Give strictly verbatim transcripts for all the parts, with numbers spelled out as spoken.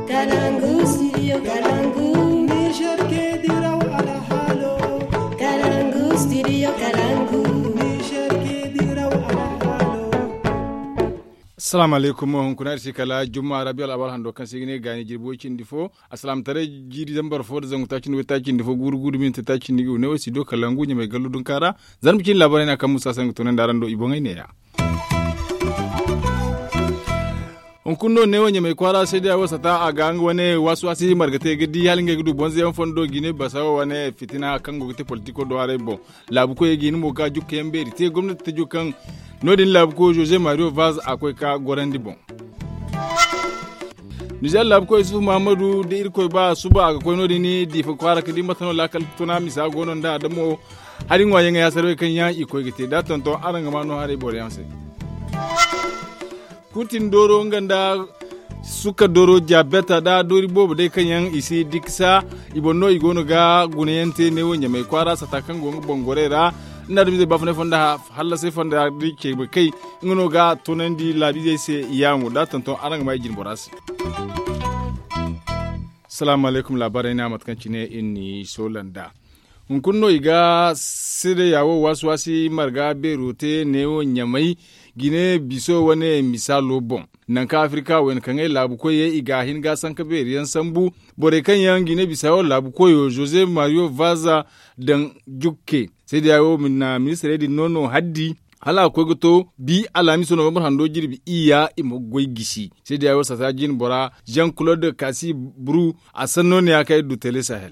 Kalangu studio kalangu. Niger ke diraw alhalo. Kalangu studio kalangu. Niger ke diraw alhalo. Assalamu alaikum, hunkuna irsi kala jumma rabi al'abar hando kan sigine gani jirbo cindi fo. Asalaamtaray jiiri zambar fo nda zangu taaci nda way taaci nda fo guuru guuru minti taaci nda guuru ne wo si do kalangu ɲamay gallu dunkaara. Zarma cindi laabaray na kaŋ musa sangu tunandi araŋ do i boŋay neeya. Hunkuna no neewo ɲamay kwaara seedeya wo sata a ga nga wane waasi waasi marga te ga di hala ngey ga du bonza yaŋ fondo ga i ne basa wo wane fitina kaŋ go ga te politiko do haray boŋ. Laabu koyey ga i ne mo ga jukka yaŋ beeri te gomnati tajo kaŋ no- din laabu koyo jose mario vaz a koy ka gorandi boŋ. Nizer laabu koy yusuf muhammadu da irkoy ba suba a ga koy no- din diifa kwaara ka di mate no laakal tuna misa go no nda adamo. Hari ŋwa yaŋ ay hasarwey kaŋ yaŋ i koy ga te da tonton araŋ ga ma no haray boro yaŋ se. Kutin dooro nga nda sukka dooro diabeta da doori boobo day kaŋ yaŋ i si diksa. I boŋ no i go no ga gunayaŋ te neewo ɲamay kwaara sata kaŋ go nga boŋ gorey ra. Nda adamizey baafunay fonda hallasay fonda da i ce ga kay nga no ga tunandi laabiizey se. Yaamo da tonton araŋ ga ma i jine bora se. Salaamu alaykum laabaarey no a mate kaŋ cine iri n'i soola nd'a. Hunkuna no i ga seedeya wo waasi waasi marga beero te neewo ɲamay gine biso wane misaalo boŋ. Nangu kaŋ afirika wayna kaŋ ay laabu koyey i ga a hin ga sanka beeri yaŋ sambu. Borey kaŋ yaŋ gine bisa wo laabu koyo jose mario vaza daŋ jukke seedeya wo na ministirey din no no haddi. Hala a koy ga to bi alhamiso novembre hando jirbi iyya i ma goy gisi seedeya wo sata jine bora jean claude kasi bru. A sanno ne ya kaŋ iri du tele sahel.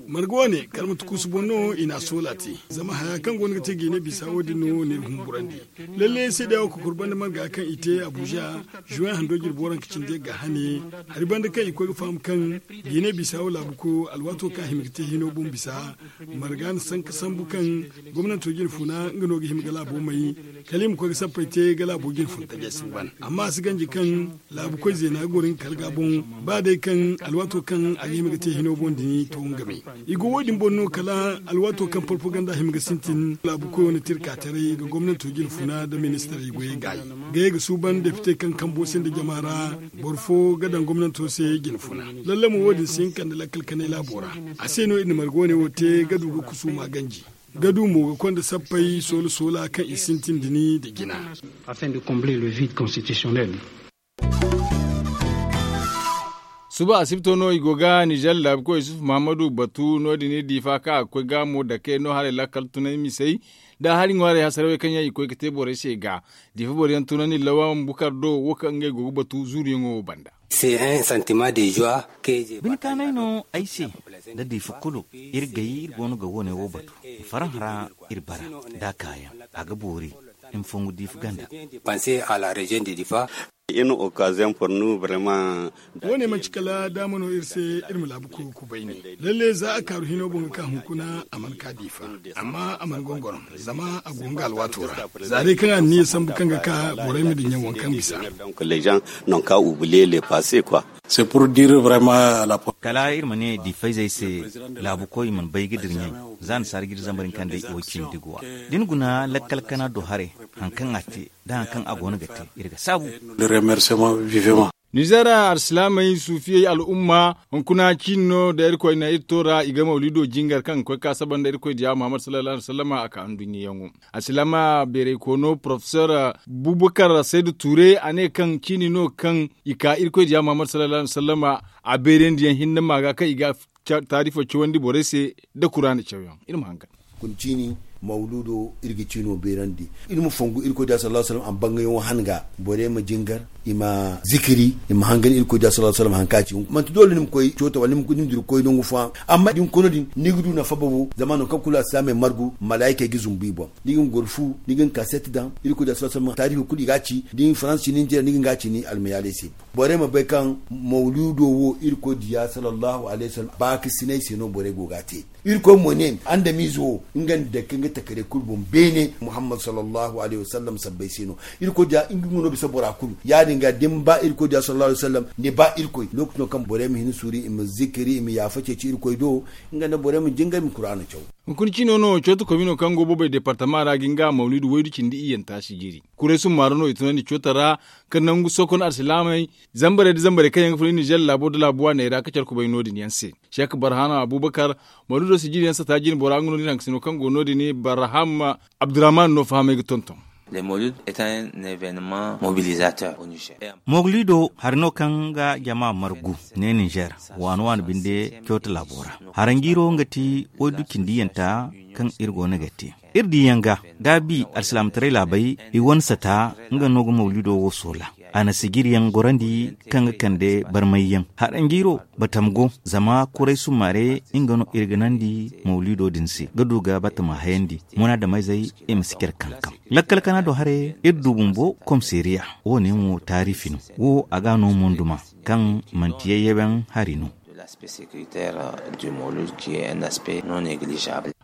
Marga wane kala manti kuusu boŋ no i n'a soola te. Zama haya kaŋ go no ga te ga i ne bisa wo- din no n'iri humburandi. Lalle seedeya wo kokor banda marga kaŋ i te abuja juwen hando jirbi waranka cindi ga hane. Hari banda kaŋ i koy ga faham kaŋ ga i ne bisa wo laabu koyo alwaato kaŋ a hima ga te hino boŋ bisa. Marga na sanka sambu kaŋ gomnanto jine funa nga no ga hima ga laabo may. Kala i ma koy ga sappey te ga laabo jine funa tajay si ban amma a si ganji kaŋ laabu koy zeena ga goro nga kala ga boŋ. Ba day kaŋ alwaato kaŋ a ga hima ga te hino boŋ din to nga me. I go wo- din boŋ no kala alwaato kaŋ propaganda hima ga sintin laabu koyo na tirka taray ga gomnanto jine funa nda ministirey goyey gaayi. Ga ye ga suuban depite kaŋ kambo se nda jama ra. Boro fo ga daŋ gomnanto se jine funa. Lalle mo wo- din si hin kande lakkal kanay laabo ra. A se no iri na marga wane wo te ga du ga kusuuma ganji. Ga du mo ga konda sappey soola soola kaŋ i sintin din nda jina. Afin de combler le vide constitutionnel. Suba asibto no i go ga nizer laabu koy yusuf muhammadu batu no- din iri diifa kaŋ a ga koy ga mo dake no haray lakkal tunay misey. Da hari ŋwaarey hasarawey kaŋ yaŋ i koy ga te borey se ga diifa boro yaŋ tunandi lawan bukar do wo kaŋ ngey go ga batu zuuriyaŋo wo banda. Bine kaanay no ay se. Da diifa kulu iri gay iri go no ga wo- ne wo batu. Faraŋ ra iri bara da a kaayaŋ a ga boori. Iri ma fongu diifa ganda. Panse a la reziyoŋ de diifa. Iri na okkaziyoŋ pornu brema. Wo- ne manci kala daama no iri se. Iri ma laabu koy ga kubay ne lalle za a kaaru hino boŋ ga ka hunkuna a mana ka diifa. Amma a mana gongoro zama a go nga alwaato ra. Za day kaŋ a na niya sambu kaŋ ga ka borey ma dinya waŋ kaŋ bisa. Kala iri ma ne diifayzey se laabu koy i mana bay ga dira ɲaŋ. Za na saara ga iri zambar hinka nda i way cindi ga wa da ni guna lakkal kana do haray. Hari kaŋ a te nda hari kaŋ a go no ga te iri ga saabu. Nizer alsilaamey suufiyey al'umma hunkuna ciini no da irkoy na iri to ra i ga mawlido jingar kaŋ ga koy ga ka saba nda irkoy diya muhammad sallallahu alaihi wasallama a ka nduɲɲayaŋo. Alsilaama beeray koono porofesor bubakar saydu ture a ne kaŋ ciini no kaŋ i ka irkoy diya muhammad sallallahu alaihi wasallama a beerandiyaŋ hinne ma ga kaŋ i ga taarifo cawandi borey se. Nda kuraana cawyaŋ iri ma hangan. Hunkuna ciini mawluudo iri ga ciino beerandi. Iri ma fongu irkoy diya sallallahu alaihi wasallam a ma bangayyaŋo han ga borey ma jingar i ma zikiri i ma hangan irkoy diya sallallahu alaihi wasallam hari kaŋ a ci. Manti doole ni ma koy cooto wala ni ma dira koy nangu fooyaŋ. Amma da ni koy no- din ni ga du nafa boobo zama nangu kaŋ kulu alsilaamey margu malaayikey ga zumbu i boŋ. Ni ga ni goro fu ni ga ni kaaset daŋ. Irkoy diya sallallahu alaihi wasallam taarihi kulu i ga a ci da ni faransi ci ni ni te ni ga nga ci ni almayaaley se. Borey ma bay kaŋ mawluudo wo irkoy diya sallallahu alaihi wasallam baakasinay se no borey go ga a te. Irkoy mo ne andamiize wo nga nda kaŋ ga takaray kulu boŋ beene muhammad sallallahu alaihi wasallam sabbay se no. Irkoy diya nga no bisa bora kulu ya- din ga da ni ba irkoy diya sallallahu alaihi wasallam ni ba irkoy lokaci no kaŋ borey ma hin suuri i ma zikiri i ma yaafa ceeci irkoy do. Nga nda borey ma jingar i ma kuraana caw. Hunkuna ciino no cooto komino kaŋ go boobay deepartama ra ga nga mawlidu waydu cindi iyyanta sijiri. Kuray summaaro no i tunandi cooto ra, ka nangu sokon alsilaamey zambarey nda zambarey kaŋ yaŋ ga furo nizer laabo nda laabu waaney ra ka care kubay no- din yaŋ se. Seek barhama abubakar, mawlido sijiri yaŋ sata jine bora nga no din hankasino kaŋ go no- din barhama abdurrahman no fahamay ga tonton. Mawlido hari no kaŋ ga jama margu ne nizer waano waano binde, cooto laabo ra. Haranjiiro nga ti waydu cindi iyyanta kaŋ iri go no ga te. Iri di yaŋ ga, da a bi alsilaamataray laabey, i wane sata nga no ga mawlido wo soola. A na sijiri yaŋ gorandi kaŋ ga kande barmay yaŋ. Haranjiiro batam go, zama kuray summaare nga no iri ga nandi mawlido din se ga du ga batama hayandi. Munaadamayzey, i ma si care kankam. Lakkal kana do haray, iri du bumbo komisariya. Wo- ne mo taarifi no. Wo a ga no monduma kaŋ manti yayyabaŋ hari no.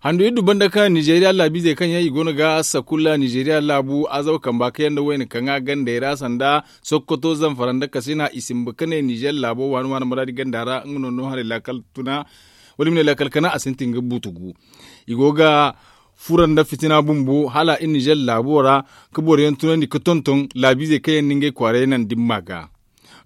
Handu iri du banda kaŋ nizeeriya laabiizey kaŋ yaŋ i go no ga sakulla nizeeriya laabu azaw kamba kaŋ yaŋ nda wayna kaŋ a gandey ra sanda sokkoto zamfara nda kasina i simba ka ne nizeer laabo waani waani maraadi ganda ra nga no no haray laakal tuna wala i ma ne laakal kana a sintin ga buutu gu. I go ga fura nda fitina bumbo hala i nizeer laabo ra ka boro yaŋ tunandi ka tonton laabiizey kaŋ yaŋ na ngey kwaaray naŋ dimma ga.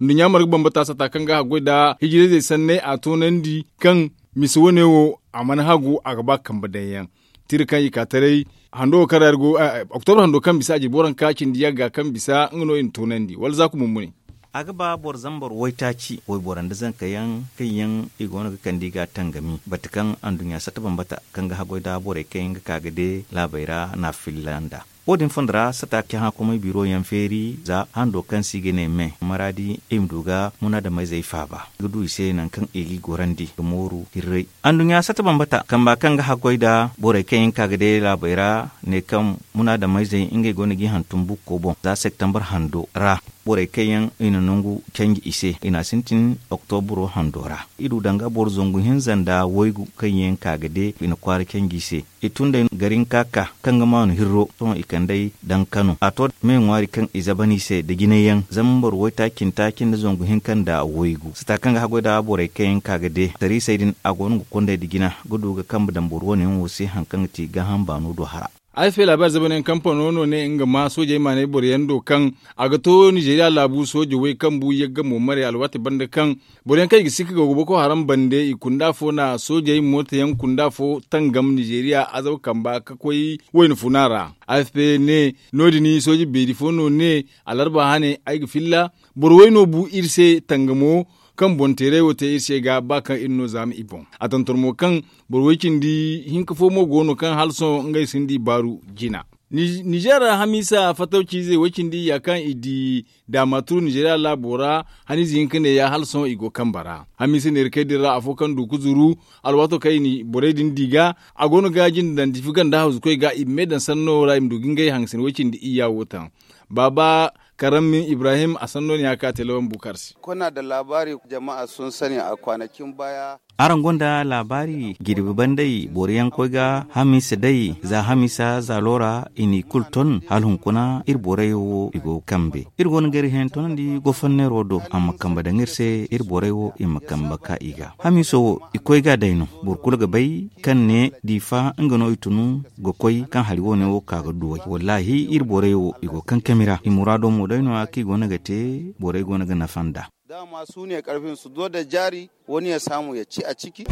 Nduɲɲa marga bambata sata kaŋ ga haggoy nda hijirayzey sanney a toonandi kaŋ misa wane wo a mana hagu a ga ba kambe daŋ yaŋ. Tira kaŋ i ka taray hando wo kaŋ ra iri go oktobra hando kaŋ bisa a jirbi waranka cindi yagga kaŋ bisa nga no i na toonandi wala za ku mummune. A ga ba boro zambar waytaaci wayboro nda zanka yaŋ kaŋ yaŋ i go no ga kande i ga tangami bate kaŋ anduɲɲa satta bambata kaŋ ga haggoy nda borey kaŋ yaŋ ga ka ga de laabey ra na a filla nd'a. Wo- din fondo ra sata cahãkomey biro yaŋ feeri za hando kaŋ se i ga ne me maraadi i ma du ga munaadamayzey faaba ga du i se nangu kaŋ i g'i gorandi ga mooru hirray. Anduɲɲa sata bambata kamba kaŋ ga haggoy nda borey kaŋ yaŋ ka ga day laabey ra ne kaŋ munaadamayzey ngey go no g'i hantum bukko boŋ za septembar hando ra. Borey kaŋ yaŋ i na nangu canji i se i na a sintin oktobro hando ra. I du danga boro zangu hinza nda waygu kaŋ yaŋ ka ga de i na kwaara canji i se. I tun day gari hinka ka kaŋ ga maanu hirro sohõ i kand'ey daŋ kano a to me ŋwaari kaŋ i zabani se nda jinay yaŋ zama boro waytaaci nda taaci nda zangu hinka nda waygu sata kaŋ ga haggoy nda borey kaŋ yaŋ ka ga de tariisey din a go no ga kond'ey nda jina ga du ga kambe daŋ boro wane yaŋ wo se hari kaŋ ga ti gaaham baano do hara. Ay fay laabaari zabanyaŋ kampano no ne nga ma soojey maanay boro yaŋ do kaŋ a ga to nizeeriya laabu sooje way kambu yagga mo maray alwaati banda kaŋ boro yaŋ kaŋ i ga sikka ga go boko haram bande i kunda fo na soojey mooto yaŋ kunda fo tangam nizeeriya azaw kamba ka koy wayna funa ra. Afp ne no- din sooje beeri fo no ne alarba hane ay ga filla boro way no bu iri se tangamo kaŋ boŋ teeray wo te iri se ga ba kaŋ iri no zaama i boŋ a tantor mo kaŋ boro way cindi hinka fo mo go no kaŋ hala sohõ ngey sinda i baaru jina. Nizeer ra hamiisa fatawciizey way cindi ya kaŋ i di daamatur nizeeriya laabo ra haniize hinka ne ya hala sohõ i go kambe ra hamiisa neera kay din ra afo kaŋ du ga zuru alwaato kaŋ i na borey din di ga a go no ga jinde daŋ difi ganda hawzukoy ga i ma me daŋ sanno ra i ma du ga ngey hangasin way cindi iyya wo taŋ. Baaba karammi ibrahim a sanno ne ya ka te lawan bukar se. Kuna da labari jama'a sun sani a kwanakin baya. Araŋ gonda laabaari jirbi bandey boro yaŋ koy ga hamiisa day za hamiisa zaalo ra i n'i kulu ton hala hunkuna iri borey wo i go ga kambe. Iri go no ga iri hẽen tonandi goforneero do a ma kambe daŋ iri se iri borey wo i ma kambe ka i ga hamiiso wo i koy ga day no. Boro kulu ga bay kaŋ ne diifa nga no i tunu ga koy kaŋ hari wo- ne wo ka ga duwey wallaahi iri borey wo i go kankami ra i muraado mo day no- ya kaŋ i go no ga te borey go no ga nafa nd'a. Dama su ne karfin su do da jari wani ya samu ya ci a ciki.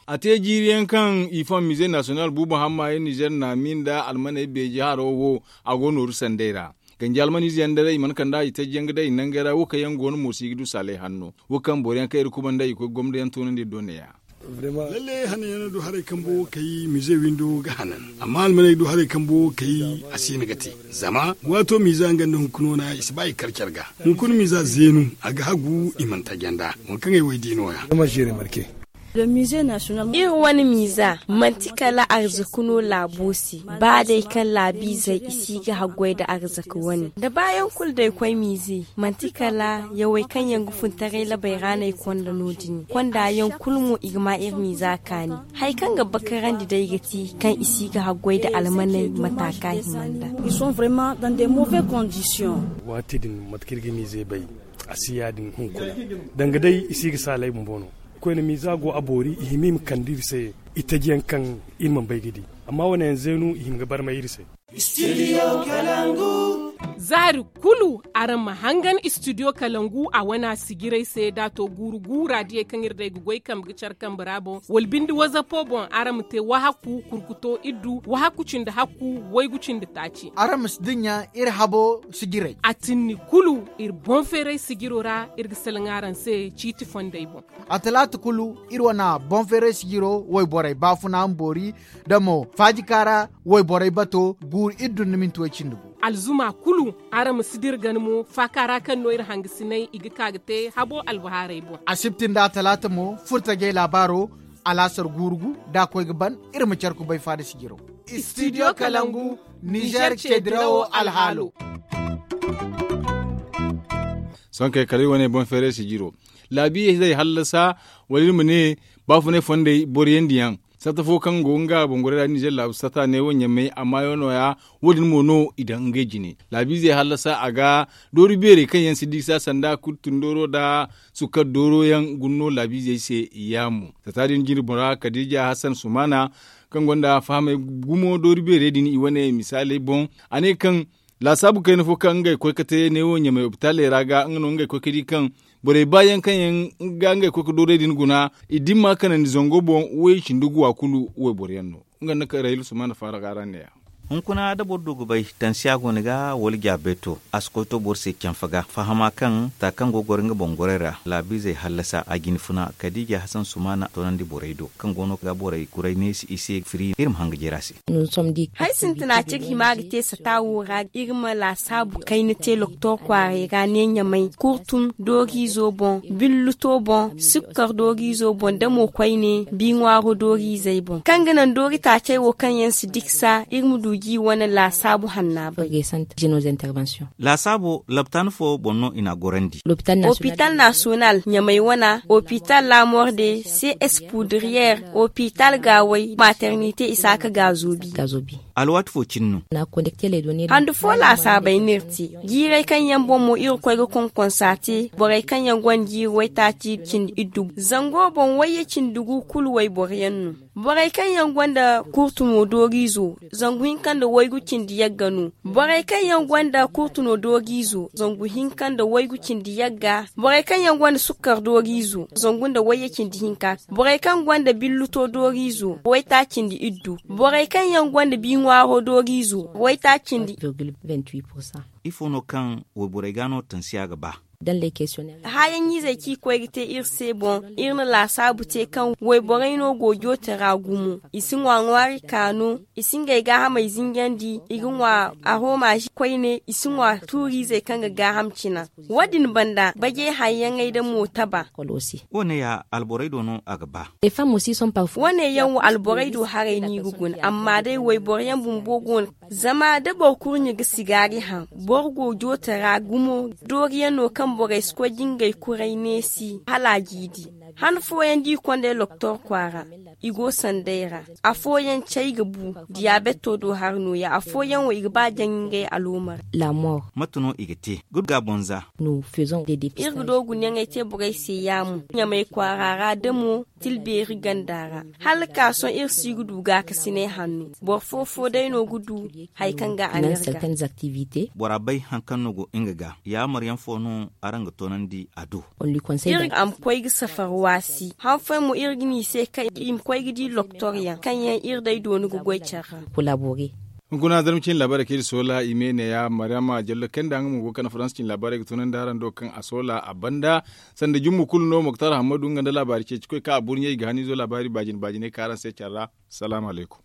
A te jiiri yaŋ kaŋ i faŋ mize nasiyonal buuba hamma yaŋ nizer naami nda almaney beeji haro wo a go nooru sandey ra. Ganji almaniize yaŋ da day i mana kand'a i tajji yaŋ ga day i nangey ra wo kaŋ yaŋ go no mo si ga du saalay hanno wo kaŋ boro yaŋ kaŋ iri kubanda i koy gomda yaŋ toonandi do ne- ya. Lalle hane yaŋ no du haray kambo wo kay mize windo ga hanan amma almaney du haray kambo wo kay a si no ga te. Zama waato miza nga nda hunkuna wana i si ba i kar care ga hunkuna miza zeenu a ga hagu i mana taji nd'a. Waŋ kaŋ ay wo ay di no- ya. Iri wane miiza manti kala arzaka no laabo se. Ba day kaŋ laabiizey i si ga haggoy nda arzaka wane da baayaŋ kulu day koy miize manti kala yawey kaŋ yaŋ ga fun taray labey ra no ay konda no- din konda yaŋ kulu mo i ga ma iri miiza kaani. Hari kaŋ ga bakarandi day ga ti kaŋ i si ga haggoy nda almaney mata kaŋ a hima nd'a. Waati din mate kaŋ iri ga miize bay a si ya- din hunkuna danga day i si ga saalay bumbo no. Koyne miiza go a boori i hima i ma kande iri se itaji yaŋ kaŋ iri mana bay ga di. Amma wane yaŋ zeenu i hima ga barmay iri se. Za hari kulu araŋ ma hangan istidiyo kalangu a wana sijiray se da a to guuru guura diyey kaŋ iri day ga goy kambe ga care kambe ra boŋ wala binde wazapo boŋ araŋ ma te wahakku kurkuto iddu wahakku cindi hakku waygu cindi taaci. Araŋ ma si dinya iri habo sijiray. A tinni kulu iri boŋ feeray sijiro ra iri ga salaŋ araŋ se ciiti fondey boŋ. A talaata kulu iri wane boŋ feeray sijiro wayborey baafuna ma boori da mo faajika ra wayborey bato guuru iddu nda minti way cindi gu. Alzuma kulu araŋ ma si dira gana mo faaka ra kaŋ no iri hangasinay i ga ka ga te habo albahaarey boŋ. Asibti nda a talaata mo furtajey laabaaro alaasar guuru gu da a koy ga ban iri ma care kubay faada sijiro. Istidiyo kalangu nizer ce dirawo alhaalo. Sonkey kala iri wane boŋ feeray sijiro laabiizey hallasa wala iri ma ne baafunay fondey boroyandiyaŋ sata fo kaŋ go nga boŋ gorey ra nizer laabu sata neewo ɲamey amma yaŋ nooya. Wo- din mo no i daŋ ngey jine laabiizey hallasa a ga doori beerey kaŋ yaŋ si diisa sanda kurtun dooro nda sukkar dooro yaŋ guna no laabiizey se. Yaamu sata din jine boŋ ra kadiija hasan sumaana kaŋ gonda fahamey gumo doori beerey din i wane misaaley boŋ a ne kaŋ laasaabu kayna fo kaŋ ngey koy ga te neewo ɲamey opitaaley ra ga nga no ngey koy ga di kaŋ borey baayaŋ kaŋ yaŋ ga ngey koy ga doorey din guna i dimma kanandi zango boŋ way cindi guwa kulu wayboro yaŋ no. Nga nda kay rayil sumaana faara ga araŋ ne ya. Hunkuna da boro du ga bay tansiya go ni ga wala jaabeeto a si koy to boro se canfa ga fahama kaŋ ta kaŋ go ga goro nga boŋ gorey ra laabiizey hallasa a jine funa kadiija hasan sumaana toonandi borey do kaŋ go no ga borey kuray neesi i se firi iri ma hanga jeera se. Hay sintina cig hima ga te sata wo ra iri ma laasaabu kayna te doktor kwaaray ra ne ɲamay kurtum dooriizo boŋ billuto boŋ sukkar dooriizo boŋ da mo koyne bi ŋwaaro dooriizey boŋ kaŋ ga naŋ doori taacey wo kaŋ yaŋ si diksa iri ma du ga i wane laasaabu hanna bay. Laasaabo laptan fo boŋ no i n'a gorandi. Opital nasiyonal ɲamay wana opital lamorde cs pudriyer opital gaaway maternite isaaka gaazobi. Alwaati fo cine no. Handu fo laasaabey no iri te jiirey kaŋ yaŋ boŋ mo iri koy ga konkonsa te borey kaŋ yaŋ gonda jiiri waytaaci cindi iddu zango boŋ wayye cindi gu kulu wayboro yaŋ no. Borey kaŋ yaŋ gonda kurtuno dooriizo zangu hinka nda waygu cindi yagga no. Borey kaŋ yaŋ gonda kurtuno dooriizo zangu hinka nda waygu cindi yagga borey kaŋ yaŋ gonda sukkar dooriizo zangu nda wayye cindi hinka. Borey kaŋ gonda billuto dooriizo waytaaci nda iddu. Borey kaŋ yaŋ gonda bi ŋwaaro dooriizo waytaaci nda. Ifo no kaŋ wayborey ga no tansiya ga ba? Haayaŋ-izey kaŋ i koy ga te iri se boŋ iri na laasaabu te kaŋ wayborey no go joote ra gumo i si ŋwa ŋwaari kaano. I si ngey gaahamey zinjandi i ga ŋwa aromaazi koyne i si ŋwa tuuriizey kaŋ ga gaaham cina. Wo- din banda baje hayyaŋey da mo taba. Wo- ne ya alborey do no a ga ba. Wo- ne yaŋ wo alborey do haray no i ga guna amma day wayboro yaŋ bumbo go no. Zama da boro kurɲe ga sigaari haŋ boro go joote ra gumo dooriyaŋ no kaŋ borey si koy ga ngey kuray neesi hala a jiidi. Han fooyaŋ da i kond'ey loktor kwaara i go sandey ra. Afooyaŋ cay ga bu diyaabeto do hari nooya afooyaŋ wo i ga ba jaŋ ngey alooma ra. Mate no i ga te ga du ga boŋ za? Iri ga doogunayaŋey te borey se yaamu ɲamey kwaara ra da mo tilbeeri ganda ra hala ka sohõ iri si ga du gaakasinay hanno. Boro fo fo day no ga du hari kaŋ ga a ne iri ga. Bora bay hari kaŋ no go nga ga yaamar yaŋ fo no araŋ ga toonandi a do? Iri a ma koy ga safar waasi han fooyaŋ mo iri ga ne i se kaŋ i ma koy ga di loktor yaŋ kaŋ yaŋ iri day dooni ga goy care ra. Hunkuna zarma ciine laabaarey kaŋ iri soola i me neeya mariama jallo kaŋ nda nga mo go ga kande faransa ciine laabaarey ga toonandi araŋ do kaŋ a soola a banda. Sanda jumma kulu no moktar hammadu nga nda laabaari ceeci koy kaŋ a burɲey i ga haniizo laabaari baajine baajiney kaŋ araŋ se care ra. Salaamu alaykum.